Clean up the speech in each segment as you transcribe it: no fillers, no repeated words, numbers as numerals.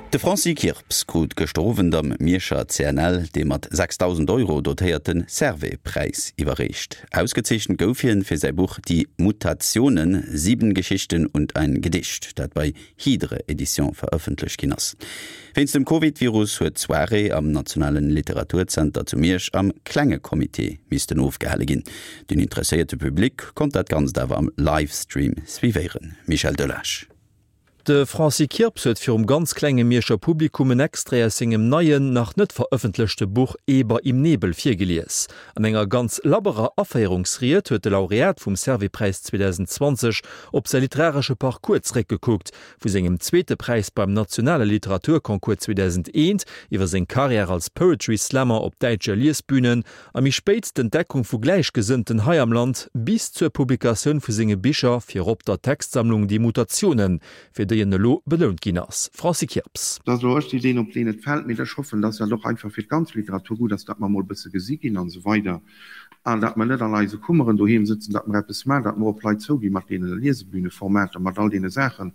De Francis Kirps krut gëschter Owend am Mierscher CNL dee mat 6.000 Euro dotéierte Servais-Präis iwwerreecht. Ausgezeechent gouf hien fir säi Buch Die Mutationen, sieben Geschichten und ein Gedicht, dat bei Hydre Edition verëffentlecht ginn ass. Wéinst dem Covid-Virus huet d'Soirée am Nationalen Literaturzenter zu Miersch am klenge Comité missten ofgehale ginn. Den interesséierte Public konnt dat Ganzt awer am Livestream suivéieren. Michel Delage. De Francis Kirps huet virum ganz klenge Mierscher Publikum en Extrait aus sengem neien, nach net verëffentlechte Buch Eber im Nebel virgelies. An enger ganz labberer Aféierungsried huet de Laureat vum Servais-Präis 2020 op säi literaresche Parcours zeréckgekuckt, vu sengem zweete Präis beim nationale Literaturconcours 2001 iwwer seng Karriär als Poetry Slammer op däitsche Liesbünen a méi spéit d'Entdeckung vu Gläichgesënnten hei am Land bis zur Publikatioun vu senge Bicher, virop der Textsammlung Die Mutationen, fir déi en elo belount ginn ass. Francis Kirps. Et ass elo ech déi deen op deen et fält, mee ech hoffen, dass dat och einfach fir d'ganz Literatur gutt ass, datt mer emol e bësse gesi ginn an esou weider an datt mer net an eise Kummeren doheem sëtzen, datt mer eppes maachen, datt mer op Leit zouginn mat deene Liesebühneformater, mat all deene Saachen,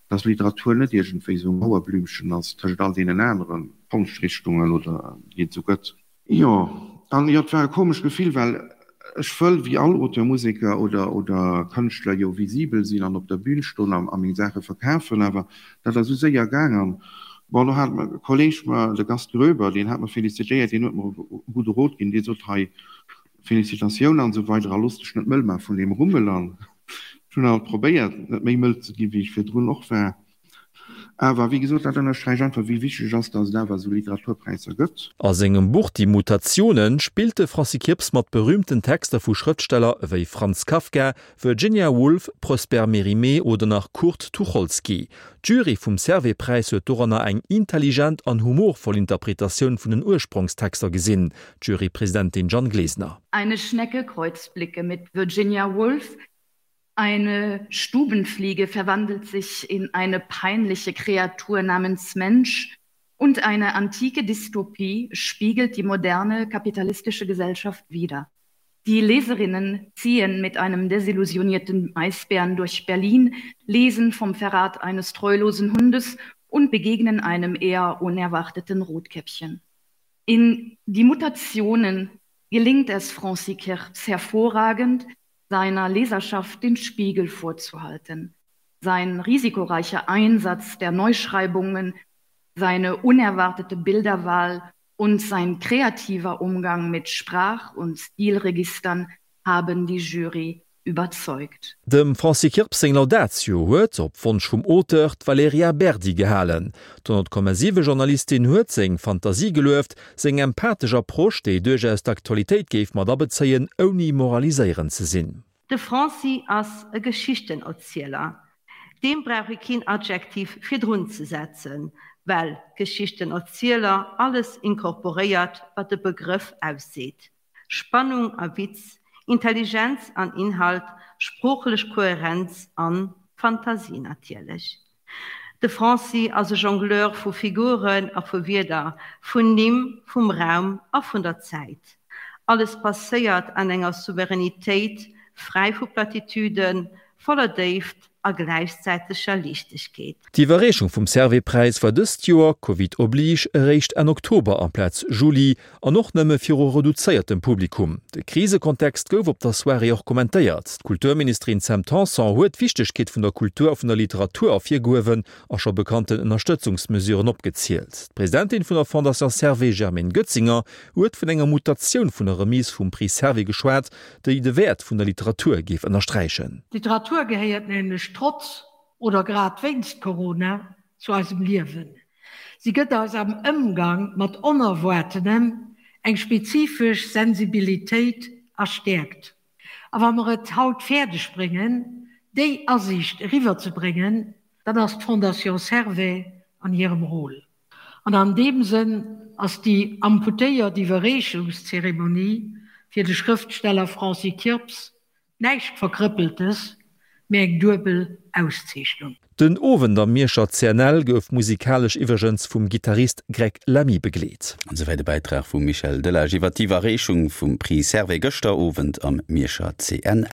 dass Literatur net iergendwéi esou e Mauerblümchen ass tëschent all deenen anere Konschtrichtungen oder déi et esou gëtt. Jo, an jo, et war e komescht Gefill, well ech wëll wéi all Auteur, Museker oder oder Kënschtler jo visibel sinn an op der Bühn stoen a meng Saache verkafen, awer dat ass esou séier gaang an bon, do hat e Kolleg mer, de Gast Groeber, deen hat mer felicitéiert, deen huet mer e gudde Rot ginn, dee sot, hei, Felicitatioun an esou weider a looss dech net mëll maache vun deem Rummel an ech hunn alt probéiert, net méi mëll ze ginn, wéi ech virdrun och war. Awer, wéi gesot, dat ënnersträicht einfach, wéi wichteg et ass, datt et awer esou Literaturpräisser gëtt. A sengem Buch Die Mutationen spillt de Francis Kirps mat berüümten Texter vu Schrëftsteller ewéi Franz Kafka, Virginia Woolf, Prosper Mérimée oder nach Kurt Tucholsky. D'Jury vum Servais-Präis huet doranner eng intelligent an humorvoll Interpretatioun vun den Ursprongstexter gesinn, d'Jurypresidentin Jeanne Glesener. Eine Schnecke kreuzt Blicke mit Virginia Woolf, Eine Stubenfliege verwandelt sich in eine peinliche Kreatur namens Mensch und eine antike Dystopie spiegelt die moderne kapitalistische Gesellschaft wider. Die Leserinnen ziehen mit einem desillusionierten Eisbären durch Berlin, lesen vom Verrat eines treulosen Hundes und begegnen einem eher unerwarteten Rotkäppchen. In die Mutationen gelingt es Francis Kerz hervorragend, seiner Leserschaft den Spiegel vorzuhalten. Sein risikoreicher Einsatz der Neuschreibungen, seine unerwartete Bilderwahl und sein kreativer Umgang mit Sprach- und Stilregistern haben die Jury überzeugt. Dem Francis Kirps seng Laudatio huet, op Wonsch vum Auteur, d'Valerija Berdi gehalen. D'100,7 Journalistin huet seng Fantasie gelueft, seng empathesch Approche, déi duerchaus d'Aktualitéit géif mat abezéien, ouni moraliséierend ze sinn. De Francis ass e Geschichtenerzieler. Deem brauch ee keen Adjektiv virdrun ze setzen, well Geschichtenerzieler alles inkorporéiert, wat de Begrëff ausseet. Spannung a Witz, Intelligenz an Inhalt, sproochlech Kohärenz an Fantasie natierlech. De Francis ass e Jongleur vu Figuren a vu Wierder, vun Nimm, vum Raum a vun der Zäit. Alles passéiert an enger Souveränitéit, fräi vu Platitüden, voller Déift a gläichzäiteger Liichtegkeet. D'Iwwerreechung vum Servais-Präis war dëst Joer, Covid oblige, eréischt Enn Oktober amplaz Juli an och nëmme viru reduzéiertem Publikum. De Krisekontext gouf op der Soirée och kommentéiert. D'Kulturministerin Sam Tanson huet d'Wichtegkeet vun der Kultur a vun der Literatur ervirgehuewen a scho bekannten Ënnerstëtzungsmesuren opgezielt. D'Presidentin vun der Fondation Servais Germaine Goetzinger huet vun enger Mutatioun vun der Remise vum Prix Servais geschwat, déi de Wäert vun der Literatur géif ënnersträichen. D'Literatur gehéiert nämlech trotz oder grad wéinst Corona zu eisem Liewen. Si gëtt eis am Ëmgang mat Onerwaartenem eng spezifesch Sensibilitéit a Stäerkt. A wa mer et haut fäerdeg bréngen, déi Asiicht eriwwerzebréngen, dann ass d'Fondation Servais an hirem Rôle. An an deem Sënn ass déi amputéiert Iwwerreechungszeremonie fir de Schrëftsteller Francis Kirps näischt Verkrëppeltes, mee eng duebel Auszeechnung. Den Owend am Mierscher CNL gouf musikalesch iwwregens vum Gittarist Greg Lamy begleet. An esouwäit e Bäitrag vum Michel Delage iwwer d'Iwwerreechung vum Prix Servais gëschter Owend am Mierscher CNL.